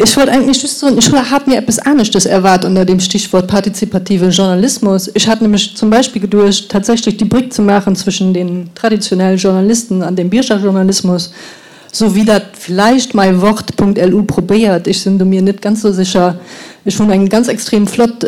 Ech wollt eigentlech just soen, ech hat mir eppes aneschtes erwaart ënner dem Stichwort partizipative Journalismus. Ech hat nämlech zum Beispill geduecht, tatsächlech déi Bréck ze maachen zwëschen den traditionellen Journalisten an dem Biergerjournalismus, sou wéi dat vläicht meiwort.lu probéiert, ech sinn do mir net ganz sou sécher. Ech hunn eng ganz extrem flott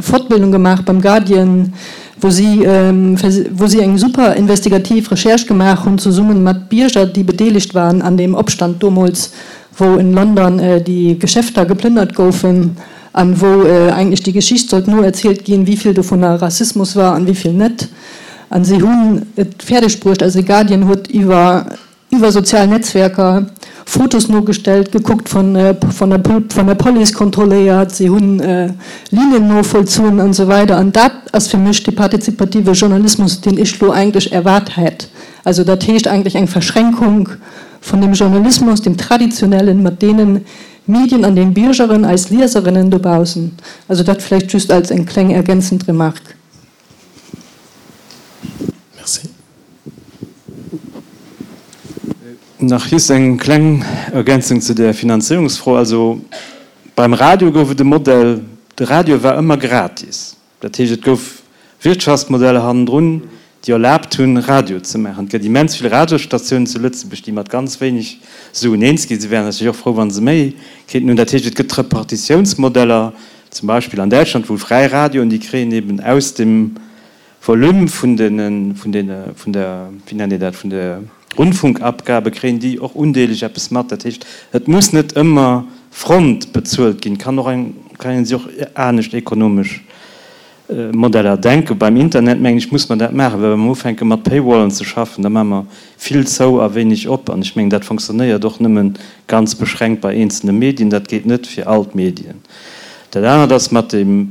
Fortbildung gemaach beim Guardian, wou si wou si eng super investigativ Recherche gemaach hunn, zesummen mat Bierger, déi bedeelegt waren an deem Opstand domols, wou in London déi Geschäfter geplënnert goufen an wou eigentlech déi Geschicht sollt noerzielt ginn, wéi vill dovunner Rassismus war an wéi vill net. An si hunn et fäerdeg bruecht, also de Guardian huet iwwer iwwer sozial Netzwerker Fotos nogestellt, gekuckt, vun vun der vun der Police kontrolléiert, si hunn Linien novollzunn an esou weider. An dat ass fir mech dee partizipative Journalismus, deen ech lo eigentlech erwaart hätt. Also dat heescht eigentlech eng Verschränkung vun dem Journalismus, dem traditionellen, mat deenen Medien an den Biergeren, eis Lieserinnen dobaussen. Also dat vläicht just als eng kleng ergänzend Remarque. Merci. Nach just eng kleng Ergänzung zu där Finanzéierungsfro. Also beim Radio gouf et e Modell, de Radio war ëmmer gratis. Dat heescht, et gouf Wirtschaftsmodeller hannendrun, déi erlaabt hunn, Radio ze maachen. Et gëtt immens vill Radiosstatiounen zu Lëtzebuerg, déi mat ganz wéineg Suen eens ginn. Si wären natierlech och frou, wa se méi kéinten hunn. Dat heescht, et gëtt Repartitiounsmodeller, zum Beispill an Däitschland, wou fräi Radioen, déi kréien eben aus dem Volume vun den, vun den, vun der, wéi nennt een dat, vun de Rundfunkabgabe kréien déi och undeeleg eppes mat. Dat heescht, et muss net ëmmer front bezuelt ginn, kann och eng, kann ee sech och anescht ekonomesch Modeller denken. Beim Internet, mengen ech, muss mer dat maachen, well wa mer ufänke mat Paywallen ze schaffen, da maache mer vill zou a wéineg op. An ech mengen, dat fonctionnéiert och nëmme ganz beschränkt bei eenzelne Medien, dat geet net fir all d'Medien. Dat anert ass mat dem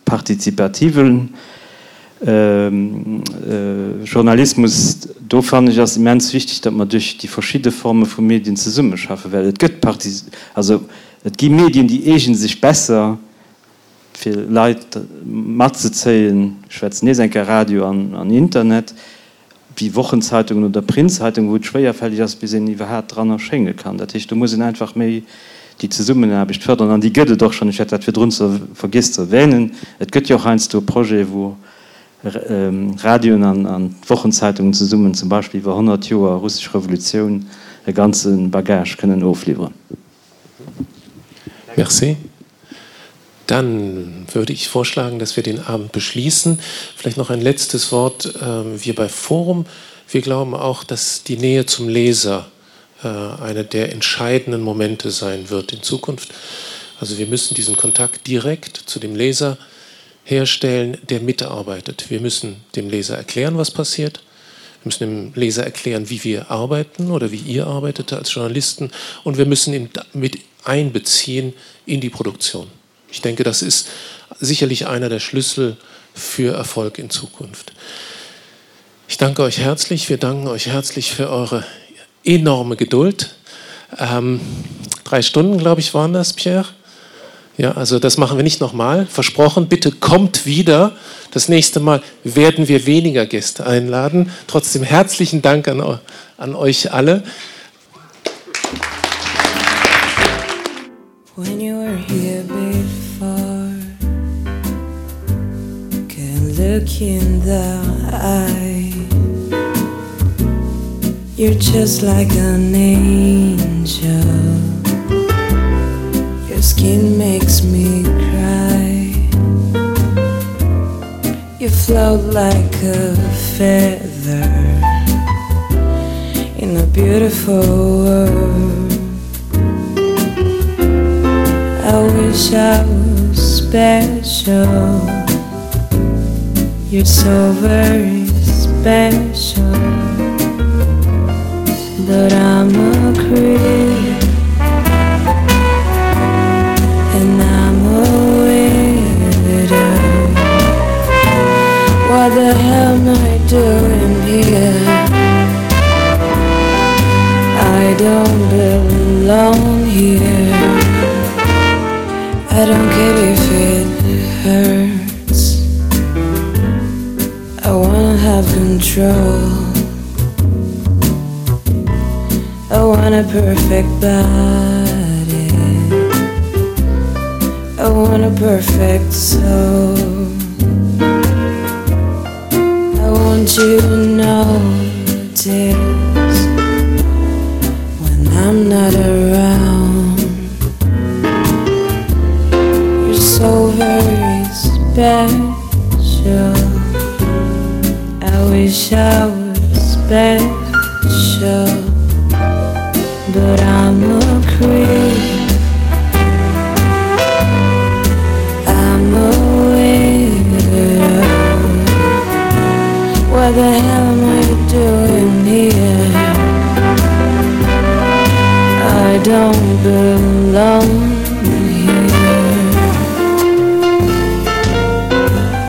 partizipativen Journalismus. Do fannen ech ass immens wichteg, datt mer duerch déi verschidde Forme vu Medien zesummeschaffen, well et gëtt Parti-, also et gi Medien, déi eegene sech besser fir Leit matzezéien, ech schwätzen nees eng Kéier Radio an Internet, wéi Wochenzeitungen oder Printzeitungen, wou et schwéierfälleg ass, bis een iwwerhaat dran erschénge kann. Dat heescht, do muss een einfach méi déi Zesummenaarbecht fërderen. An déi gëtt et och schonn. Ech hat dat virdrun ze vergiess ze erwänen. Et gëtt jo och heiansdo Projete wou Radioen an Wochenzeitungen zesummen zum Beispill iwwer 100 Joer russesch Revolutioun e ganze Bagage kënnen ofliwweren. Merci. Dann würde ich vorschlagen, dass wir den Abend beschließen. Vielleicht noch ein letztes Wort. Ähm, wir bei Forum, wir glauben auch, dass die Nähe zum Leser äh, einer der entscheidenden Momente sein wird in Zukunft. Also wir müssen diesen Kontakt direkt zu dem Leser herstellen, der mitarbeitet. Wir müssen dem Leser erklären, was passiert. Wir müssen dem Leser erklären, wie wir arbeiten oder wie ihr arbeitet als Journalisten und wir müssen ihn mit einbeziehen in die Produktion. Ich denke, das ist sicherlich einer der Schlüssel für Erfolg in Zukunft. Ich danke euch herzlich. Wir danken euch herzlich für eure enorme Geduld. Ähm, drei Stunden, glaube ich, waren das, Pierre. Ja, also das machen wir nicht nochmal. Versprochen, bitte kommt wieder. Das nächste Mal werden wir weniger Gäste einladen. Trotzdem herzlichen Dank an, an euch alle. When you were here before Can look in the eye You're just like an angel Your skin makes me cry You float like a feather In a beautiful world I wish I was special You're so very special But I'm a creep And I'm a widow What the hell am I doing here? I don't belong here I don't care if it hurts I wanna have control I want a perfect body. want a perfect soul. I want you to notice when I'm not around. You're so very special. I wish I was special, but I'm a creep. I'm a weirdo. What the hell am I doing here? I don't belong.